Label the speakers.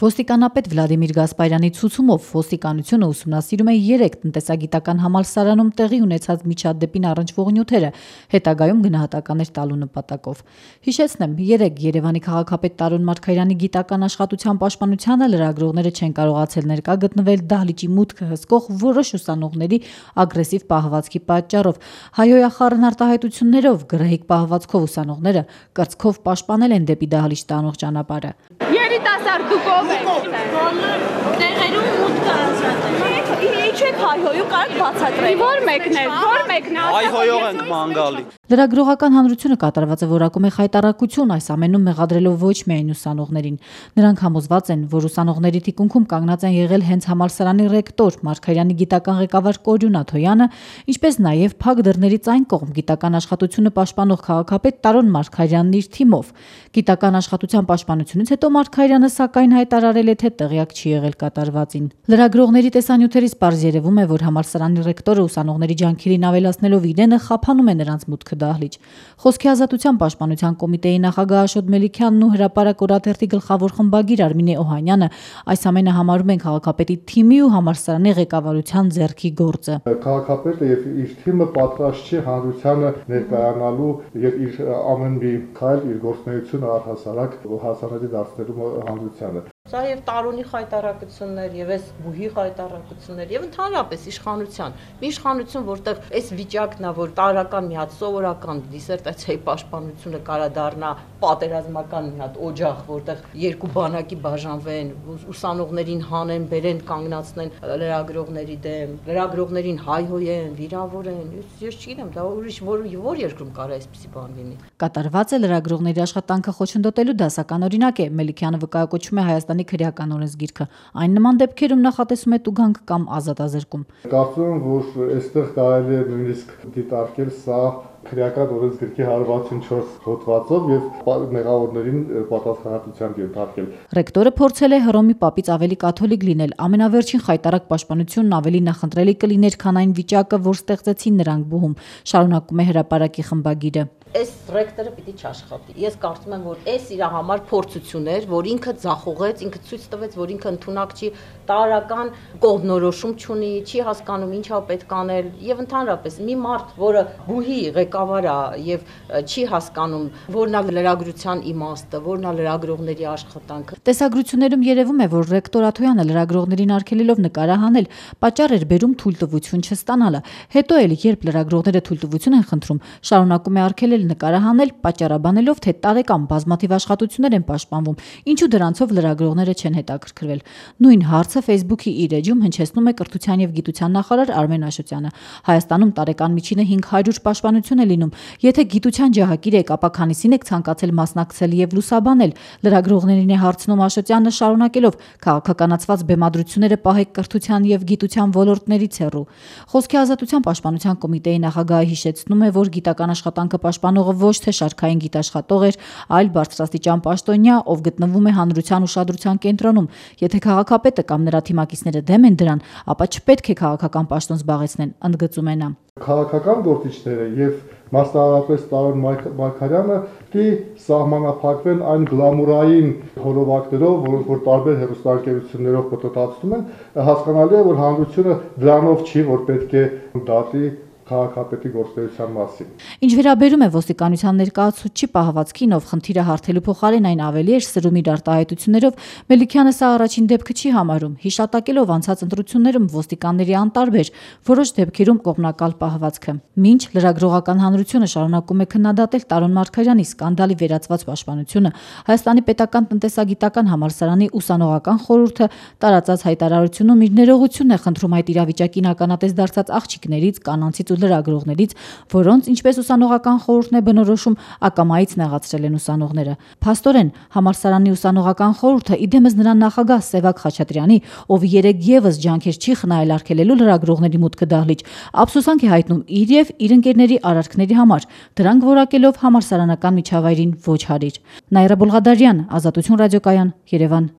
Speaker 1: Ոստիկանապետ Վլադիմիր Գասպարյանի ցուցումով ոստիկանությունը ուսումնասիրում է 3 տնտեսագիտական համալսարանում տեղի ունեցած միջադեպին առնչվող նյութերը, հետագայում գնահատականներ տալու նպատակով։ Հիշեցնեմ, 3 Երևանի քաղաքապետ Տարոն Մարգարյանի գիտական աշխատության պաշտպանությանը լրագրողները չեն կարողացել ներկա գտնվել դահլիճի մուտքը հսկող որոշ ուսանողների ագրեսիվ պահվածքի պատճառով։ Հայհոյախառն արտահայտություններով գռեհիկ պահվածքով ուսանողները կրծքով պաշտպանել են դեպի դահլիճ տանող ճանապարհը։
Speaker 2: Երիտասարդ դուք ով եք? Տեղերում մուտքը ազատ է։ Ինչ եք հայհոյում, կարաք բացատրել։ Որ մեկն է, որ մեկն է։
Speaker 3: Հայհոյող ենք մանգալի։
Speaker 1: Լրագրողական հանրությունը կատարվածը որակում է խայտառակություն, այս ամենում մեղադրելով ոչ միայն ուսանողներին։ Նրանք համոզված են, որ ուսանողների թիկունքում կանգնած են եղել հենց համալսարանի ռեկտոր Մարգարյանի գիտական ղեկավար Կորյուն Աթոյանը, ինչպես նաև փակ դռներից այն կողմ գիտական աշխատությունը պաշտպանող քաղաքապետ Տարոն Մարգարյանն իր թիմով։ Գիտական աշխատության պաշտպանությունից հետո Մարգարյանը սակայն հայտարարել է, թե տեղյակ չի եղել կատարվածին։ Լրագրողների տեսանյութերից պարզ երևում է, որ համալսարանի ռեկտորը ուսանողների ջանքերին ավելացնելով իրենը խափանում է նրանց մուտքը դահլիճ։ Խոսքի ազատության պաշտպանության կոմիտեի նախագահ Աշոտ Մելիքյանն ու հրապարակ օրաթերթի գլխավոր խմբագիր Արմինե Օհանյանը այս ամենը համարում են քաղաքապետի թիմի ու համալսարանի ղեկավարության ձեռքի գործը։
Speaker 4: Քաղաքապետը եւ իր թիմը պատրաստ չի հանրությանը ներկայանալու եւ իր ամեն մի քայլ իր գործունեությունը առհասարակ հասանելի դարձնելու հանրությանը։
Speaker 5: Սա եւ Տարոնի խայտարակություններ եւ այս բուհի խայտարակություններ եւ ընդհանրապես իշխանության մի իշխանություն, որտեղ այս վիճակն է, որ տարական մի հատ սովորական դիսերտացիայի պաշտպանությունը կարա դառնա պատերազմական մի հատ օջախ, որտեղ երկու բանակի բաժանվեն, ուսանողներին հանեն, բերեն, կանգնացնեն լրագրողների դեմ, լրագրողներին հայհոյեն, վիրավորեն։ Ես չգիտեմ, դա ուրիշ որ երկրում կարա այսպիսի բան լինի։
Speaker 1: Կատարված է լրագրողների աշխատանքը խոչընդոտելու դասական օրինակ է, Մելիքյանը վկայակոչում է Հայաստանի քրեական օրենսգիրքը։ Այն նման դեպքերում նախատեսում է տուգանք կամ ազատազրկում։
Speaker 4: Կարծում եմ, որ այստեղ կարելի է նույնիսկ դիտարկել սա քրեական օրենսգրքի 164 հոդվածով եւ մեղավորներին պատասխանատվության ենթարկել։
Speaker 1: Ռեկտորը փորձել է Հռոմի պապից ավելի կաթոլիկ լինել, ամենավերջին խայտարակ պաշտպանությունն ավելի նախընտրելի կլիներ, քան այն վիճակը, որ ստեղծեցին նրանք բուհում, շարունակում է հրապարակի խմբագիրը։
Speaker 5: Այս ռեկտորը պիտի չաշխատի։ Ես կարծում եմ, որ այս իր համար փորձություն էր, որ ինքը ձախողեց, ինքը ցույց տվեց, որ ինքը ընդունակ չի, տարական կողմնորոշում չունի, չի հասկանում ինչա պետք անել եւ ընդհանրապես մի մարդ, որը բուհի ղեկավար է եւ չի հասկանում, որն է լրագրության իմաստը, որն է լրագրողների աշխատանքը։
Speaker 1: Տեսագրություններում երևում է, որ ռեկտոր Աթոյանը լրագրողներին արգելելով նկարահանել, պատճառ էր բերում թույլտվություն չստանալը։ Հետո էլ, երբ լրագրողները թույլտվություն են խնդրում, շարունակում է արգելել նկարահանել, պատճառաբանելով, թե տարեկան բազմաթիվ աշխատություններ են պաշտպանվում, ինչու դրանցով լրագրողները չեն հետաքրքրվել։ Նույն հարցը Facebook-ի իր էջում հնչեցնում է կրթության եւ գիտության նախարար Արմեն Աշոտյանը։ Հայաստանում տարեկան միջինը 500 պաշտպանություն է լինում։ Եթե գիտության ջահակիր եք, ապա քանիսին եք ցանկացել մասնակցել եւ լուսաբանել։ Լրագրողներին է հարցնում Աշոտյանը, շարունակելով. քաղաքականացված բեմադրությունները պահեք կրթության եւ գիտության ոլորտներից հեռու։ Խոսքի ազատության պաշտպանության կոմիտեի նախագահը հիշեցնում է, որ գիտական աշխատանքը պաշտպանողը ոչ թե շարքային գիտաշխատող էր, այլ բարձրաստիճան պաշտոնյա, ով գտնվում է հանրության ուշադրության կենտրոնում։ Եթե քաղաքապետը կամ նրա թիմակիցները դեմ են դրան, ապա չպետք է քաղաքական պաշտոն զբաղեցնեն, ընդգծում է նա։
Speaker 4: Քաղաքական գործիչները եւ մասնավորապես Տարոն Մարգարյանը պիտի սահմանափակվեն այն գլամուրային հոլովակներով, որ տարբեր հեռուստաընկերություններով պտտացնում են, հասկանալի է, որ հանրությունը դրանով չի, որ պետք է դատի քաղաքապետի գործունեության մասին։
Speaker 1: Ինչ վերաբերում է ոստիկանության ներկայացուցչի պահվածքին, ով խնդիրը հարթելու փոխարեն այն ավելի էր սրում իր արտահայտություններով, Մելիքյանը սա առաջին դեպքը չի համարում, հիշատակելով անցած ընտրություններում ոստիկանների անտարբեր, որոշ դեպքերում կողմնակալ պահվածքը։ Մինչ լրագրողական հանրությունը շարունակում է քննադատել Տարոն Մարգարյանի սկանդալի վերացված պաշտպանությունը, Հայաստանի պետական տնտեսագիտական համալսարանի ուսանողական խորհուրդը տարածած հայտարարությունում իր ներողությունն է խնդրում այդ իրավիճակին ականատես դարձած աղջիկներից, կանանցից ու լրագրողներից, որոնց, ինչպես ուսանողական խորհուրդն է բնորոշում, ակամայից նեղացրել են ուսանողները։ Փաստորեն, համալսարանի ուսանողական խորհուրդը իդեմս նրան նախագահ Սևակ Խաչատրյանի, ով երեկ եւս ջանքեր չի խնայել արգելելու լրագրողների մուտքը դահլիճ, ափսոսանք է հայտնում իր եւ իր ընկերների արարքների համար, դրանք որակելով համալսարանական միջավայրին ոչ հարիր։ Նաիրա Բոլղադարյան, Ազատություն ռադիոկայան, Երևան։